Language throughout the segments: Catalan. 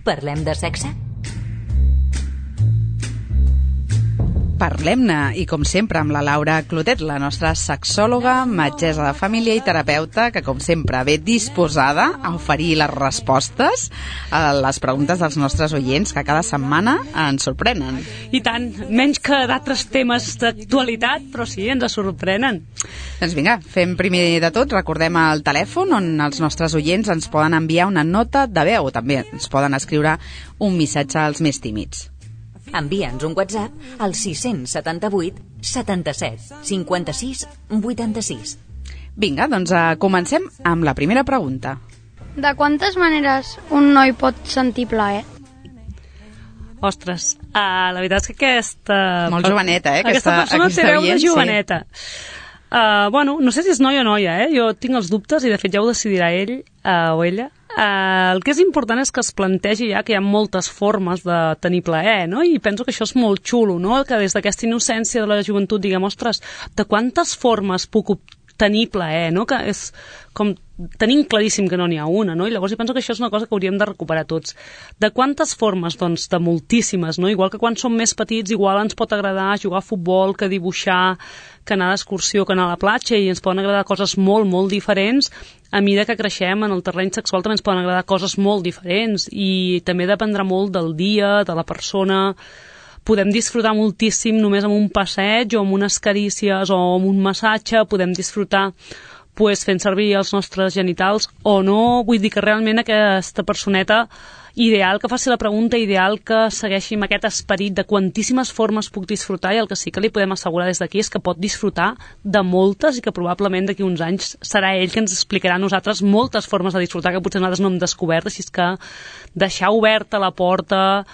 Parlem de sexe? Parlem-ne, i com sempre amb la Laura Clotet, la nostra sexòloga, metgessa de família i terapeuta, que com sempre ve disposada a oferir les respostes a les preguntes dels nostres oients, que cada setmana ens sorprenen. I tant, menys que d'altres temes d'actualitat, però sí, ens sorprenen. Doncs vinga, fem primer de tot, recordem el telèfon on els nostres oients ens poden enviar una nota de veu, també ens poden escriure un missatge als més tímids. Envia'ns un WhatsApp al 678 77 56 86. Vinga, doncs comencem amb la primera pregunta. De quantes maneres un noi pot sentir plaer? Ostres, la veritat és que aquesta... Molt joveneta, Aquesta persona té veu de joveneta. Bueno, no sé si és noi o noia, Jo tinc els dubtes i de fet ja ho decidirà ell o ella. El que és important és que es plantegi ja que hi ha moltes formes de tenir plaer, no? I penso que això és molt xulo, no? Que des d'aquesta innocència de la joventut diguem, ostres, de quantes formes puc tenir plaer, no? Que és com tenim claríssim que no n'hi ha una, no? I llavors penso que això és una cosa que hauríem de recuperar tots. De quantes formes? Doncs de moltíssimes, no? Igual que quan som més petits, igual ens pot agradar jugar a futbol, que dibuixar, que anar d'excursió, que anar a la platja, i ens poden agradar coses molt, molt diferents. A mesura que creixem en el terreny sexual també ens poden agradar coses molt diferents, i també dependrà molt del dia, de la persona. Podem disfrutar moltíssim només amb un passeig o amb unes carícies o amb un massatge, podem disfrutar fent servir els nostres genitals o no. Vull dir que realment aquesta personeta ideal que faci la pregunta, ideal que segueixi amb aquest esperit de quantíssimes formes puc disfrutar, i el que sí que li podem assegurar des d'aquí és que pot disfrutar de moltes i que probablement d'aquí uns anys serà ell que ens explicarà a nosaltres moltes formes de disfrutar que potser nosaltres no hem descobert, així que deixar oberta la porta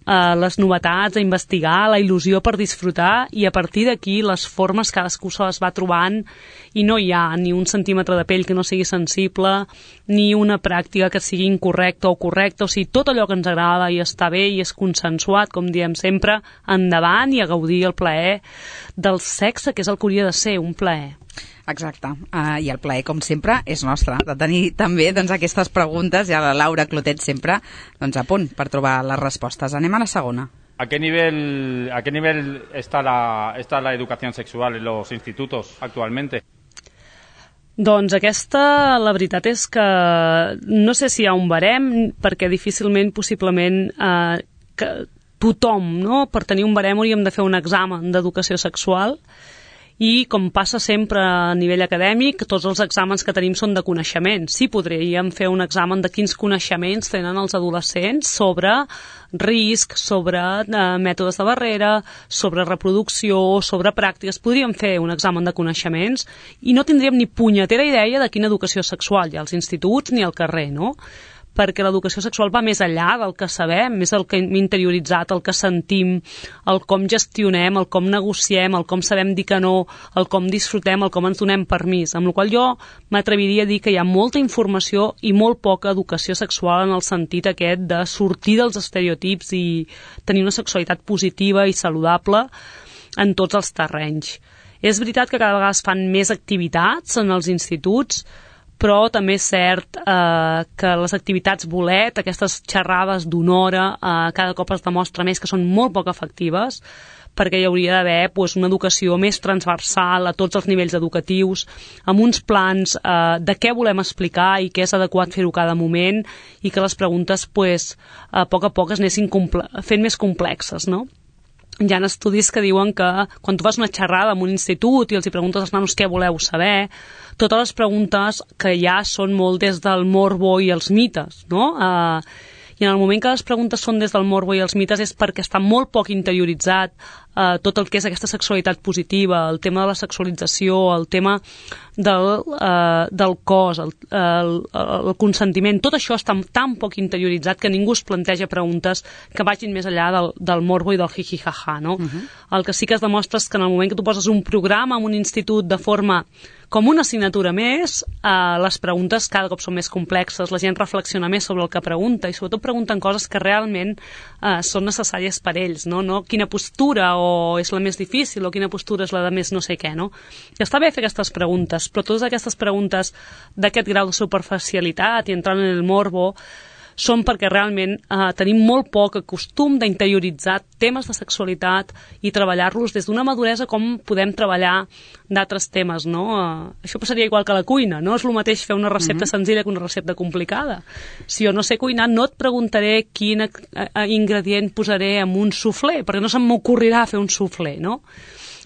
les novetats, a investigar, la il·lusió per disfrutar, i a partir d'aquí les formes cadascú se les va trobant, i no hi ha ni un centímetre de pell que no sigui sensible, ni una pràctica que sigui incorrecta o correcta, o sigui, tot allò que ens agrada i està bé i és consensuat, com diem sempre, endavant i a gaudir el plaer del sexe, que és el que hauria de ser, un plaer. Exacte, i el plaer, com sempre, és nostre, de tenir també aquestes preguntes, i a la Laura Clotet sempre a punt per trobar les respostes. Anem a la segona. ¿A qué nivel está la educación sexual en los institutos actualmente? Doncs aquesta, la veritat és que no sé si hi ha un barem, perquè difícilment, possiblement, que tothom, no? Per tenir un barem hauríem de fer un examen d'educació sexual, i com passa sempre a nivell acadèmic, tots els exàmens que tenim són de coneixement. Sí, podríem fer un examen de quins coneixements tenen els adolescents sobre risc, sobre mètodes de barrera, sobre reproducció, sobre pràctiques. Podríem fer un examen de coneixements i no tindríem ni punyetera idea de quina educació sexual hi ha als instituts ni al carrer, no? Perquè l'educació sexual va més enllà del que sabem, més el que hem interioritzat, el que sentim, el com gestionem, el com negociem, el com sabem dir que no, el com disfrutem, el com ens donem permís. Amb la qual jo m'atreviria a dir que hi ha molta informació i molt poca educació sexual en el sentit aquest de sortir dels estereotips i tenir una sexualitat positiva i saludable en tots els terrenys. És veritat que cada vegada es fan més activitats en els instituts, però també és cert que les activitats bolet, aquestes xerrades d'una hora, cada cop es demostra més que són molt poc efectives, perquè hi hauria d'haver una educació més transversal a tots els nivells educatius, amb uns plans de què volem explicar i què és adequat fer-ho cada moment, i que les preguntes a poc es anessin fent més complexes, no? Hi ha estudis que diuen que quan tu fas una xerrada en un institut i els hi preguntes als nanos què voleu saber, totes les preguntes que hi ha són molt des del morbo i els mites, no? I en el moment que les preguntes són des del morbo i els mites és perquè està molt poc interioritzat tot el que és aquesta sexualitat positiva, el tema de la sexualització, el tema del cos, el consentiment. Tot això està tan poc interioritzat que ningú es planteja preguntes que vagin més enllà del morbo i del jiji-jaja, no? El que sí que es demostra és que en el moment que tu poses un programa en un institut de forma com una assignatura més, les preguntes cada cop són més complexes, la gent reflexiona més sobre el que pregunta i sobretot pregunten coses que realment són necessàries per ells, no? No quina postura o és la més difícil o quina postura és la de més no sé què, no? I està bé fer aquestes preguntes, però totes aquestes preguntes d'aquest grau de superficialitat i entrant en el morbo són perquè realment tenim molt poc costum d'interioritzar temes de sexualitat i treballar-los des d'una maduresa com podem treballar d'altres temes, no? Això passaria igual que la cuina, no és el mateix fer una recepta senzilla que una recepta complicada. Si jo no sé cuinar, no et preguntaré quin ingredient posaré en un suflé, perquè no se'm m'ocorrirà fer un suflé, no?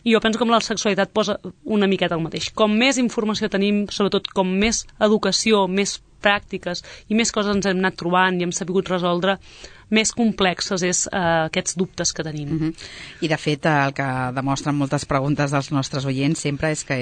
I jo penso que amb la sexualitat posa una miqueta el mateix. Com més informació tenim, sobretot com més educació, més pràctiques i més coses ens hem anat trobant i hem sabut resoldre, més complexes és aquests dubtes que tenim. I de fet el que demostren moltes preguntes dels nostres oients sempre és que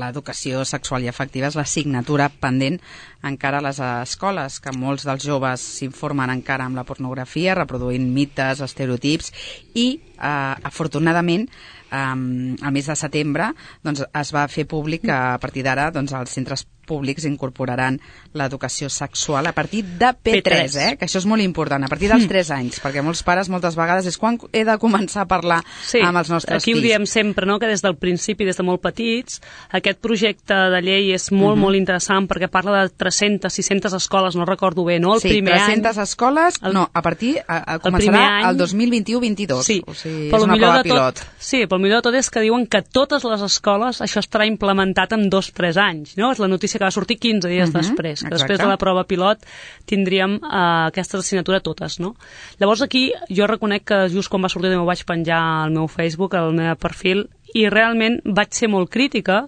l'educació sexual i afectiva és l'assignatura pendent encara a les escoles, que molts dels joves s'informen encara amb la pornografia, reproduint mites, estereotips i afortunadament al mes de setembre doncs, es va fer públic que a partir d'ara doncs, els centres públics incorporaran l'educació sexual a partir de P3, que això és molt important, a partir dels 3 anys, perquè molts pares moltes vegades és quan he de començar a parlar amb els nostres fills. Aquí ho diem sempre, no? Que des del principi, des de molt petits, aquest projecte de llei és molt, molt interessant perquè parla de 300, 600 escoles, no recordo bé, no? El primer 300 any, escoles, a partir, començarà el 2021-22, sí, o sigui, és una prova pilot. Sí, però el millor de tot és que diuen que totes les escoles això estarà implementat en 2-3 anys, no? És la notícia que va sortir 15 dies després, que després de la prova pilot tindríem aquesta assignatura totes, no? Llavors aquí jo reconec que just quan va sortir ho vaig penjar al meu Facebook, al meu perfil, i realment vaig ser molt crítica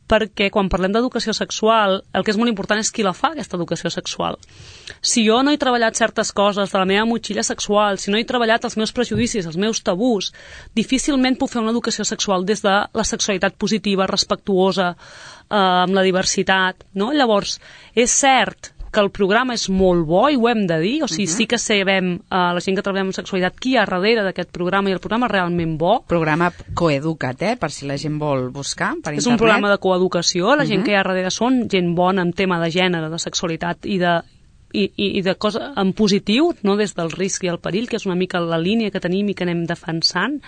perquè quan parlem d'educació sexual el que és molt important és qui la fa, aquesta educació sexual. Si jo no he treballat certes coses de la meva motxilla sexual, si no he treballat els meus prejudicis, els meus tabús, difícilment puc fer una educació sexual des de la sexualitat positiva, respectuosa, amb la diversitat, no? Llavors, és cert que el programa és molt bo i ho hem de dir, o sigui, sí que sabem, la gent que treballem en sexualitat, qui hi ha darrere d'aquest programa, i el programa és realment bo. Programa Coeduca't, per si la gent vol buscar per internet. És un programa de coeducació, la gent que hi ha darrere són gent bona en tema de gènere, de sexualitat i de cosa en positiu, no des del risc i el perill, que és una mica la línia que tenim i que anem defensant.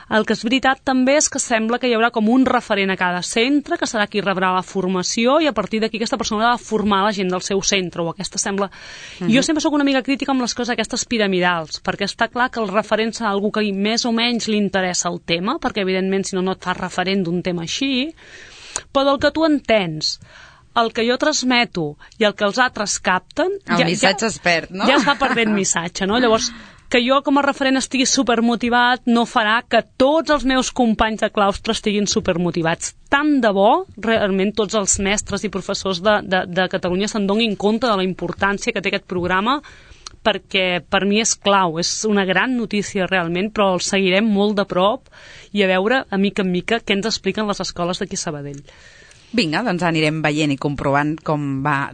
El que és veritat també és que sembla que hi haurà com un referent a cada centre, que serà qui rebrà la formació, i a partir d'aquí aquesta persona ha de formar la gent del seu centre, o aquesta sembla... Jo sempre sóc una mica crítica amb les coses aquestes piramidals, perquè està clar que el referent serà algú que més o menys li interessa el tema, perquè evidentment si no et fas referent d'un tema així, però del que tu entens, el que jo transmeto i el que els altres capten... El missatge es perd, no? Ja es va perdent missatge, no? Llavors, que jo com a referent estigui supermotivat no farà que tots els meus companys de claustre estiguin supermotivats. Tant de bo, realment, tots els mestres i professors de Catalunya se'n donin compte de la importància que té aquest programa, perquè per mi és clau, és una gran notícia realment, però el seguirem molt de prop i a veure, a mica en mica, què ens expliquen les escoles d'aquí a Sabadell. Vinga, doncs anirem veient i comprovant com va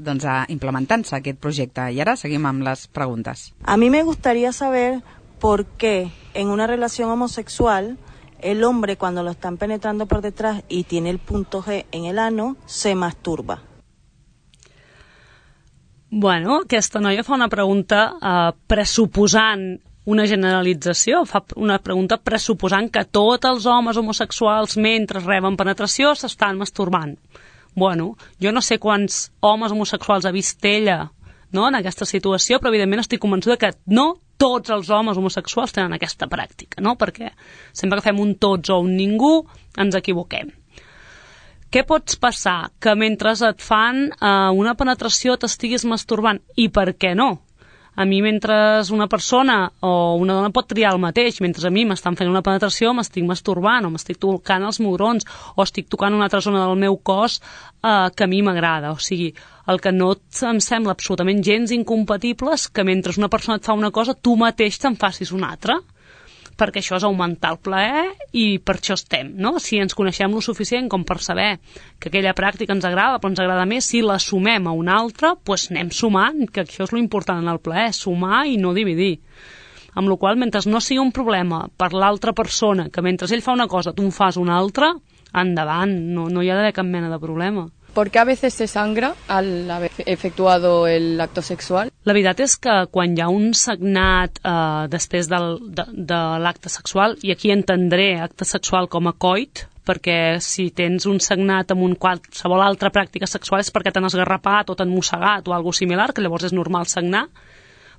implementant-se aquest projecte. Y ahora seguimos amb les preguntas. A mí me gustaría saber por qué en una relación homosexual el hombre cuando lo están penetrando por detrás y tiene el punto G en el ano se masturba. Bueno, aquesta noia fa una pregunta pressuposant una generalització, fa una pregunta pressuposant que tots els homes homosexuals mentre reben penetració s'estan masturbant. Bueno, jo no sé quants homes homosexuals ha vist ella, no, en aquesta situació, però evidentment estic convençuda que no tots els homes homosexuals tenen aquesta pràctica, no? Perquè sempre que fem un tots o un ningú ens equivoquem. Què pots passar? Que mentre et fan una penetració t'estiguis masturbant? I per què no? A mi, mentre una persona o una dona pot triar el mateix, mentre a mi m'estan fent una penetració m'estic masturbant o m'estic tocant els mugrons o estic tocant una altra zona del meu cos que a mi m'agrada. O sigui, el que no em sembla absolutament gens incompatible és que mentre una persona et fa una cosa tu mateix te'n facis una altra, perquè això és augmentar el plaer i per això estem, no? Si ens coneixem lo suficient com per saber que aquella pràctica ens agrada, però ens agrada més, si la sumem a una altra, doncs anem sumant, que això és lo important en el plaer, sumar i no dividir. Amb la qual cosa, mentre no sigui un problema per l'altra persona, que mentre ell fa una cosa tu en fas una altra, endavant, no hi ha d'haver cap mena de problema. ¿Por qué a veces se sangra al haber efectuado el acto sexual? La veritat és que quan hi ha un sagnat després de l'acte sexual, i aquí entendré acte sexual com a coit, perquè si tens un sagnat amb qualsevol altra pràctica sexual és perquè t'han esgarrapat o t'han mossegat o alguna similar, que llavors és normal sagnar,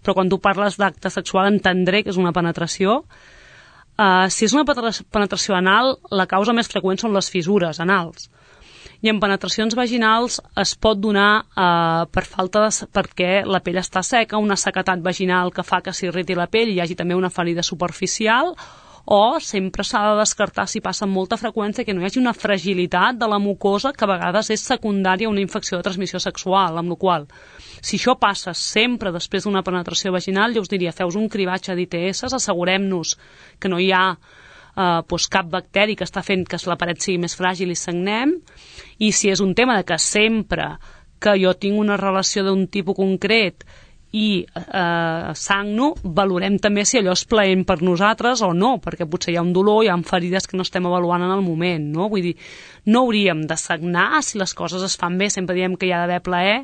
però quan tu parles d'acte sexual entendré que és una penetració. Si és una penetració anal, la causa més freqüent són les fissures anals. I en penetracions vaginals es pot donar perquè la pell està seca, una sequetat vaginal que fa que s'irriti la pell i hi hagi també una ferida superficial, o sempre s'ha de descartar, si passa amb molta freqüència, que no hi hagi una fragilitat de la mucosa que a vegades és secundària a una infecció de transmissió sexual, amb la qual si això passa sempre després d'una penetració vaginal, jo us diria, feus un cribatge d'ITS, assegurem-nos que no hi ha cap bacteri que està fent que la paret sigui més fràgil i sagnem, i si és un tema de que sempre que jo tinc una relació d'un tipus concret i sagno, valorem també si allò és plaent per nosaltres o no, perquè potser hi ha un dolor, hi ha ferides que no estem avaluant en el moment, no? Vull dir, no hauríem de sagnar si les coses es fan bé, sempre diem que hi ha d'haver plaer,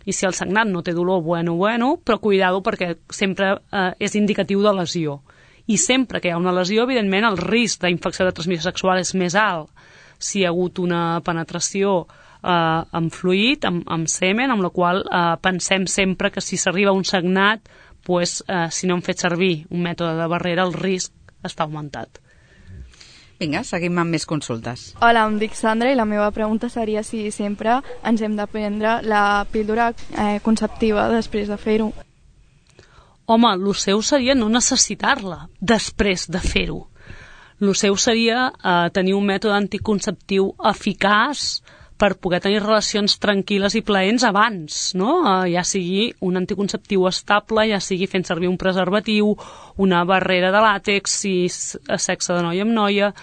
i si el sagnat no té dolor, bueno, però cuidado perquè sempre és indicatiu de lesió. I sempre que hi ha una lesió, evidentment, el risc d'infecció de transmissió sexual és més alt si hi ha hagut una penetració amb fluid, amb semen, amb la qual pensem sempre que si s'arriba a un sagnat, si no hem fet servir un mètode de barrera, el risc està augmentat. Vinga, seguim amb més consultes. Hola, em dic Sandra i la meva pregunta seria si sempre ens hem de prendre la píldora conceptiva després de fer-ho. Home, el seu seria no necessitar-la després de fer-ho. El seu seria tenir un mètode anticonceptiu eficaç per poder tenir relacions tranquil·les i plaents abans, no? Ja sigui un anticonceptiu estable, ja sigui fent servir un preservatiu, una barrera de làtex, si és sexe de noia amb noia,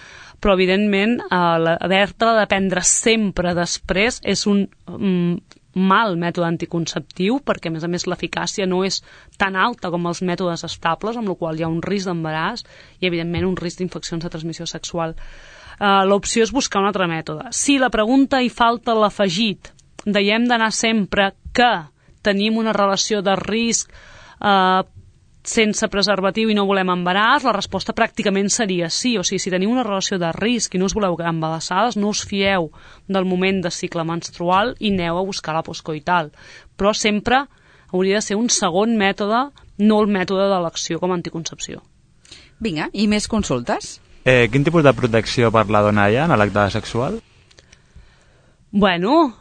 però evidentment haver-te de prendre sempre després és un mal mètode anticonceptiu, perquè a més l'eficàcia no és tan alta com els mètodes estables, amb la qual hi ha un risc d'embaràs i evidentment un risc d'infeccions de transmissió sexual. L'opció és buscar un altre mètode. Si la pregunta hi falta l'afegit de hem d'anar sempre que tenim una relació de risc sense preservatiu i no volem embaràs, la resposta pràcticament seria sí. O sigui, si teniu una relació de risc i no us voleu quedar embarassades, no us fieu del moment de cicle menstrual i aneu a buscar la postcoital. Però sempre hauria de ser un segon mètode, no el mètode d'elecció com a anticoncepció. Vinga, i més consultes? Quin tipus de protecció per la dona hi ha en l'acte sexual? Bueno,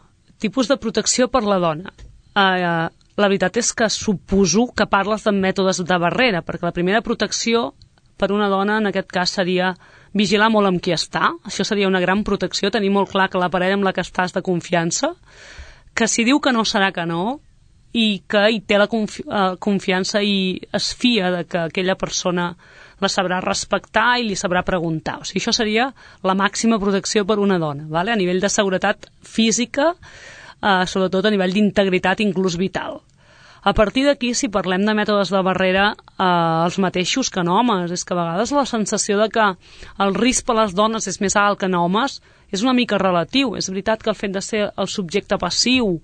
tipus de protecció per la dona. La veritat és que suposo que parles de mètodes de barrera, perquè la primera protecció per una dona en aquest cas seria vigilar molt amb qui està. Això seria una gran protecció, tenir molt clar que la parella amb la que estàs de confiança, que si diu que no serà que no, i que hi té la confiança i es fia de que aquella persona la sabrà respectar i li sabrà preguntar. O sigui, això seria la màxima protecció per una dona, ¿vale? A nivell de seguretat física, sobretot a nivell d'integritat inclús vital. A partir d'aquí, si parlem de mètodes de barrera, els mateixos que en homes, és que a vegades la sensació de que el risc per les dones és més alt que en homes és una mica relatiu. És veritat que el fet de ser el subjecte passiu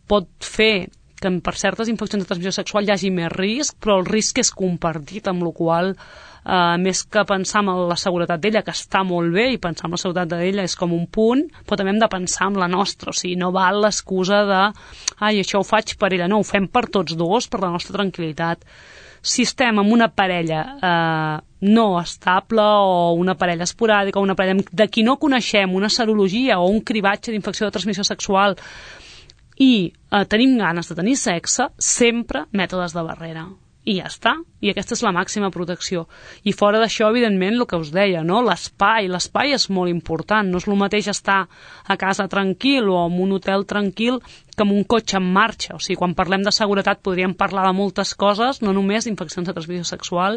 pot fer que per certes infeccions de transmissió sexual hi hagi més risc, però el risc és compartit, amb la qual més que pensar en la seguretat d'ella, que està molt bé, i pensar en la seguretat d'ella és com un punt, però també hem de pensar en la nostra. O sigui, no val l'excusa de ai, això ho faig per ella. No, ho fem per tots dos, per la nostra tranquil·litat. Si estem amb una parella no estable o una parella esporàdica o una parella de qui no coneixem, una serologia o un cribatge d'infecció de transmissió sexual i tenim ganes de tenir sexe, sempre mètodes de barrera. I ja està. I aquesta és la màxima protecció. I fora d'això, evidentment, el que us deia, no? L'espai és molt important. No és el mateix estar a casa tranquil o en un hotel tranquil que en un cotxe en marxa. O sigui, quan parlem de seguretat podríem parlar de moltes coses, no només d'infeccions de transmissió sexual,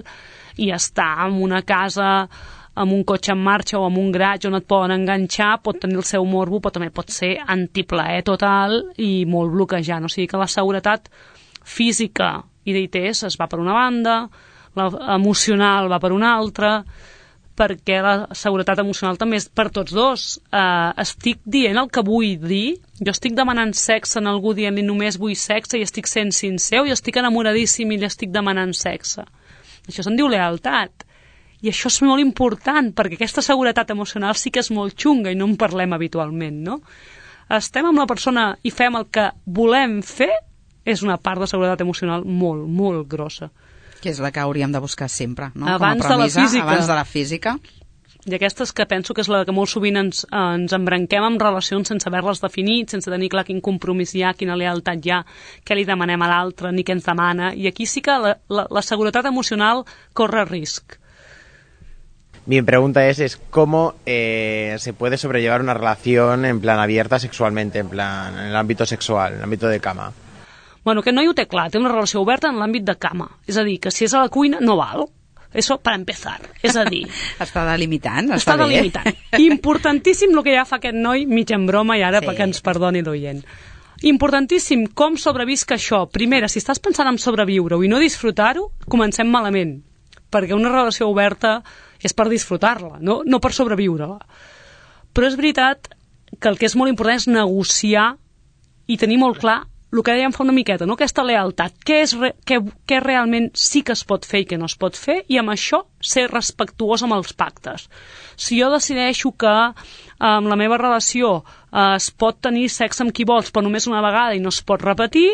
i estar en una casa amb un cotxe en marxa o amb un garatge on et poden enganxar pot tenir el seu morbo, però també pot ser antiplaer total i molt bloquejant. O sigui que la seguretat física i d'ITS es va per una banda, l'emocional va per una altra, perquè la seguretat emocional també és per tots dos. Estic dient el que vull dir, jo estic demanant sexe en algú dient-li només vull sexe i estic sent sincer, i estic enamoradíssim i li estic demanant sexe. Això se'n diu lealtat. I això és molt important, perquè aquesta seguretat emocional sí que és molt xunga i no en parlem habitualment, no? Estem amb la persona i fem el que volem fer, és una part de seguretat emocional molt, molt grossa. Que és la que hauríem de buscar sempre, no? Abans com a premissa, abans de la física. I aquesta és que penso que és la que molt sovint ens embranquem amb relacions sense haver-les definit, sense tenir clar quin compromís hi ha, quina lealtat hi ha, què li demanem a l'altre, ni què ens demana. I aquí sí que la seguretat emocional corre risc. Mi pregunta es cómo se puede sobrellevar una relación en plan abierta sexualmente, en el ámbito sexual, en el ámbito de cama. Bueno, aquest noi ho té clar, té una relació oberta en l'àmbit de cama. És a dir, que si és a la cuina no val. Eso para empezar. És a dir... Està delimitant, està delimitant. Importantíssim el que ja fa aquest noi, mig en broma, i ara sí. perquè ens perdoni l'oient. Importantíssim com sobrevisc això. Primera, si estàs pensant en sobreviure-ho i no disfrutar-ho, comencem malament. Perquè una relació oberta és per disfrutar-la, no per sobreviure-la. Però és veritat que el que és molt important és negociar i tenir molt clar el que dèiem fa una miqueta, no? Aquesta lealtat, què realment sí que es pot fer i què no es pot fer, i amb això ser respectuós amb els pactes. Si jo decideixo que en la meva relació es pot tenir sexe amb qui vols però només una vegada i no es pot repetir,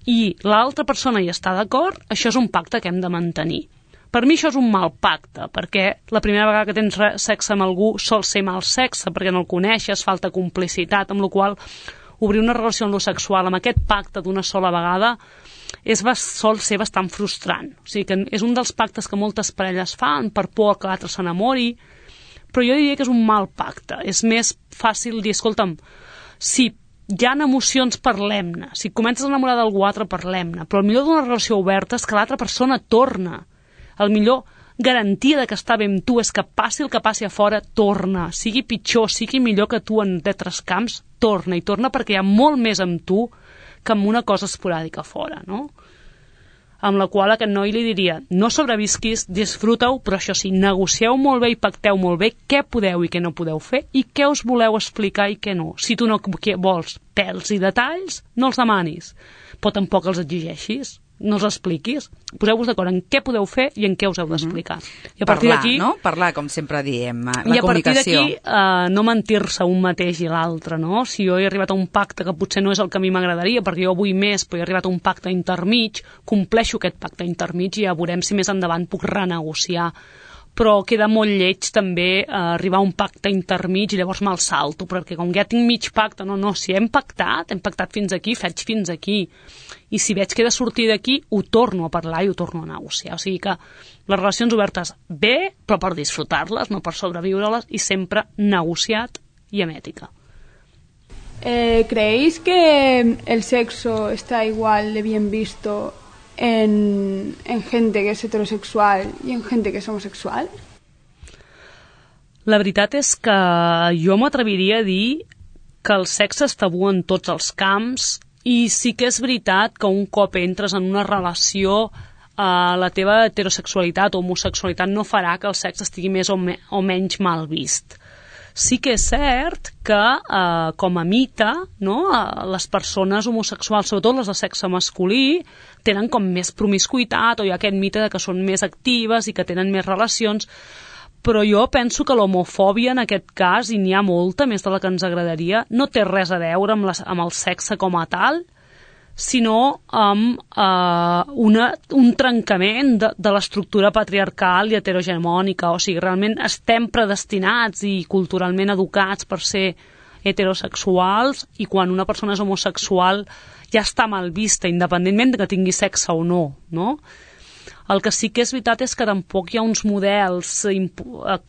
i l'altra persona hi està d'acord, això és un pacte que hem de mantenir. Per mi això és un mal pacte, perquè la primera vegada que tens sexe amb algú sol ser mal sexe, perquè no el coneixes, falta complicitat, amb la qual obrir una relació en lo sexual amb aquest pacte d'una sola vegada sol ser bastant frustrant. O sigui que és un dels pactes que moltes parelles fan per por que l'altre s'enamori, però jo diria que és un mal pacte. És més fàcil dir, escolta'm, si hi ha emocions, parlem-ne. Si comences a enamorar d'algú altre, parlem-ne. Però el millor d'una relació oberta és que l'altra persona torna. El millor garantia de que està bé amb tu és que passi el que passi a fora, torna. Sigui pitjor, sigui millor que tu en d'altres camps, torna. I torna perquè hi ha molt més amb tu que amb una cosa esporàdica a fora, no? Amb la qual aquest noi li diria, no sobrevisquis, disfruta-ho, però això sí, negocieu molt bé i pacteu molt bé què podeu i què no podeu fer i què us voleu explicar i què no. Si tu no vols pèls i detalls, no els demanis, però tampoc els exigeixis. No els expliquis, poseu-vos d'acord en què podeu fer i en què us heu d'explicar. I a partir d'aquí, no? Parlar, com sempre diem, la comunicació. I a partir d'aquí no mentir-se un mateix i l'altre, no? Si jo he arribat a un pacte que potser no és el que a mi m'agradaria, perquè jo vull més, però he arribat a un pacte intermig, compleixo aquest pacte intermig i ja veurem si més endavant puc renegociar. Però queda molt lleig també arribar a un pacte intermig i llavors me'l salto, perquè com ja tinc mig pacte, no, si hem pactat fins aquí, faig fins aquí. I si veig que he de sortir d'aquí, ho torno a parlar i ho torno a negociar. O sigui que les relacions obertes bé, però per disfrutar-les, no per sobreviure-les, i sempre negociat y en ética. ¿Creéis que el sexo está igual de bien visto en gente que es heterosexual y en gente que es homosexual? La veritat és que jo m'atreviria a dir que el sexe és tabú en tots els camps i sí que és veritat que un cop entres en una relació la teva heterosexualitat o homosexualitat no farà que el sexe estigui més o menys mal vist. Sí que és cert que, com a mite, no, les persones homosexuals, sobretot les de sexe masculí, tenen com més promiscuitat o hi ha aquest mite de que són més actives i que tenen més relacions, però jo penso que l'homofòbia en aquest cas, i n'hi ha molta, més de la que ens agradaria, no té res a veure amb el sexe com a tal, sinó amb un trencament de l'estructura patriarcal i heterogemònica. O sigui, realment estem predestinats i culturalment educats per ser heterosexuals i quan una persona és homosexual ja està mal vista, independentment de que tingui sexe o no, no? El que sí que és veritat és que tampoc hi ha uns models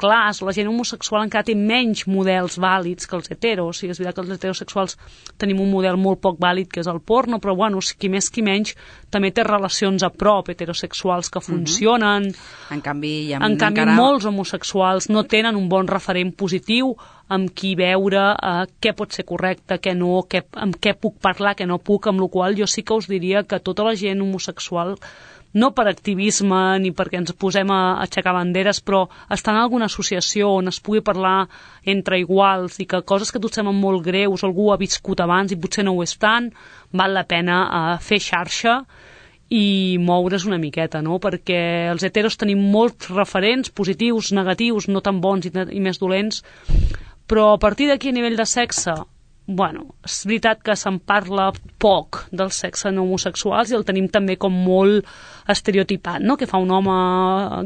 clars. La gent homosexual encara té menys models vàlids que els heteros. O sigui, és veritat que els heterosexuals tenim un model molt poc vàlid, que és el porno, però bueno, qui més qui menys també té relacions a prop heterosexuals que funcionen. En canvi, molts homosexuals no tenen un bon referent positiu amb qui veure què pot ser correcte, què no, amb què puc parlar, què no puc, amb la qual jo sí que us diria que tota la gent homosexual, no per activisme ni perquè ens posem a aixecar banderes, però estar en alguna associació on es pugui parlar entre iguals i que coses que a tu et semblen molt greus, algú ha viscut abans i potser no ho és tant, val la pena fer xarxa i moure's una miqueta, no? Perquè els heteros tenim molts referents positius, negatius, no tan bons i més dolents, però a partir d'aquí a nivell de sexe, bueno, és veritat que se'n parla poc del sexe no homosexuals i el tenim també com molt estereotipat, no? Que fa un home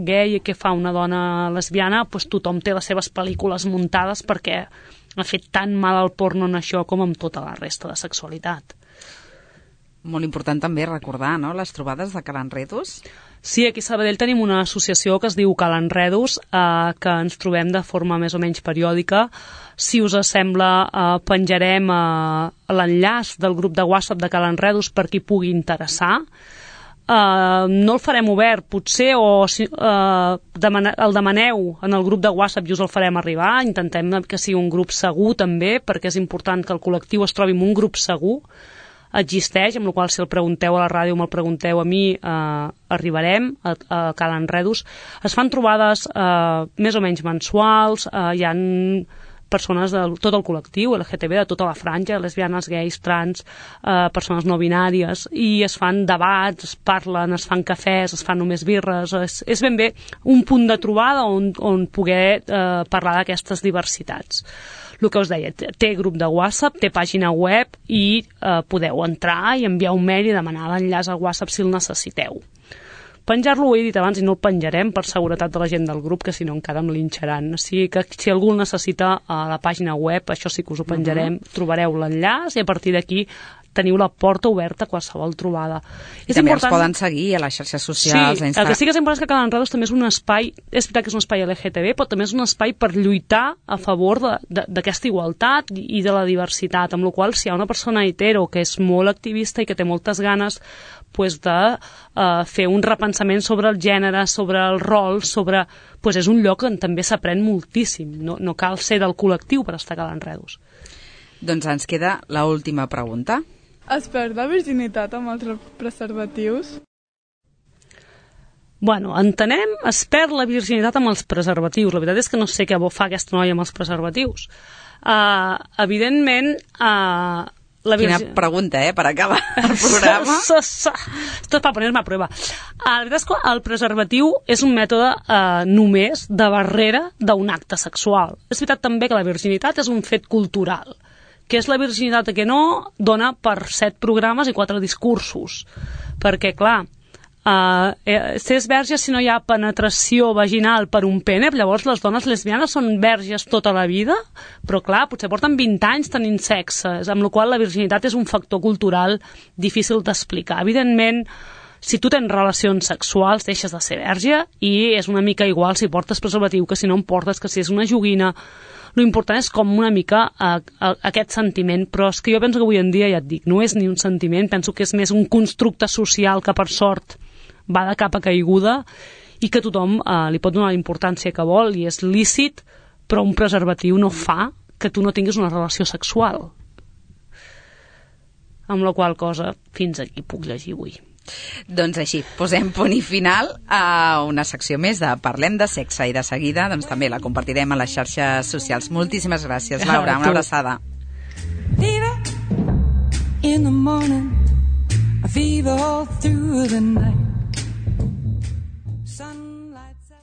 gay i que fa una dona lesbiana, doncs tothom té les seves pel·lícules muntades perquè ha fet tan mal al porno en això com amb tota la resta de sexualitat. Molt important també recordar, no?, les trobades de Calenredos. Sí, aquí a Sabadell tenim una associació que es diu Calenredos, que ens trobem de forma més o menys periòdica. Si us sembla, penjarem l'enllaç del grup de WhatsApp de Calenredos per qui pugui interessar. No el farem obert, potser, o el demaneu en el grup de WhatsApp i us el farem arribar. Intentem que sigui un grup segur també, perquè és important que el col·lectiu es trobi en un grup segur. Existeix, amb la qual si el pregunteu a la ràdio o me'l pregunteu a mi, arribarem a Calenredos. Es fan trobades més o menys mensuals, hi ha persones de tot el col·lectiu LGTB, de tota la franja, lesbianes, gais, trans, persones no binàries, i es fan debats, es parlen, es fan cafès, es fan només birres, és ben bé un punt de trobada on poder parlar d'aquestes diversitats. El que us deia, té grup de WhatsApp, té pàgina web i podeu entrar i enviar un mail i demanar l'enllaç al WhatsApp si el necessiteu. Penjar-lo ho he dit abans i no el penjarem per seguretat de la gent del grup, que si no encara em linxaran. O sigui que si algú el necessita a la pàgina web, això sí que us ho penjarem, trobareu l'enllaç i a partir d'aquí teniu la porta oberta a qualsevol trobada. I també els poden seguir a les xarxes socials. Sí, el que sí que és important és que Calenredos també és un espai, és veritat que és un espai LGTB, però també és un espai per lluitar a favor d'aquesta igualtat i de la diversitat, amb la qual si hi ha una persona hetero que és molt activista i que té moltes ganes de fer un repensament sobre el gènere, sobre el rol, és un lloc on també s'aprèn moltíssim. No cal ser del col·lectiu per estar a Calenredos. Doncs ens queda l'última pregunta. Es perd la virginitat amb els preservatius? Bueno, entenem, es perd la virginitat amb els preservatius. La veritat és que no sé què fa aquesta noia amb els preservatius. Evidentment... Quina pregunta, per acabar el programa. Esto es para ponerme a prueba. La veritat és que el preservatiu és un mètode només de barrera d'un acte sexual. És veritat també que la virginitat és un fet cultural. Què és la virginitat que no dona per 7 programes i 4 discursos. Perquè, clar, s'és verge si no hi ha penetració vaginal per un pene, llavors les dones lesbianes són verges tota la vida, però clar, potser porten 20 anys tenint sexe, amb la qual la virginitat és un factor cultural difícil d'explicar. Evidentment, si tu tens relacions sexuals, deixes de ser verge i és una mica igual si portes preservatiu que si no en portes, que si és una joguina. L'important és com una mica aquest sentiment, però és que jo penso que avui en dia, ja et dic, no és ni un sentiment, penso que és més un constructe social que per sort va de capa caiguda i que tothom li pot donar la importància que vol i és lícit, però un preservatiu no fa que tu no tinguis una relació sexual. Amb la qual cosa, fins aquí puc llegir avui. Doncs així, posem punt i final a una secció més de Parlem de Sexe i de seguida doncs també la compartirem a les xarxes socials. Moltíssimes gràcies, Laura, una abraçada. Fever in the morning, a fever all through the night.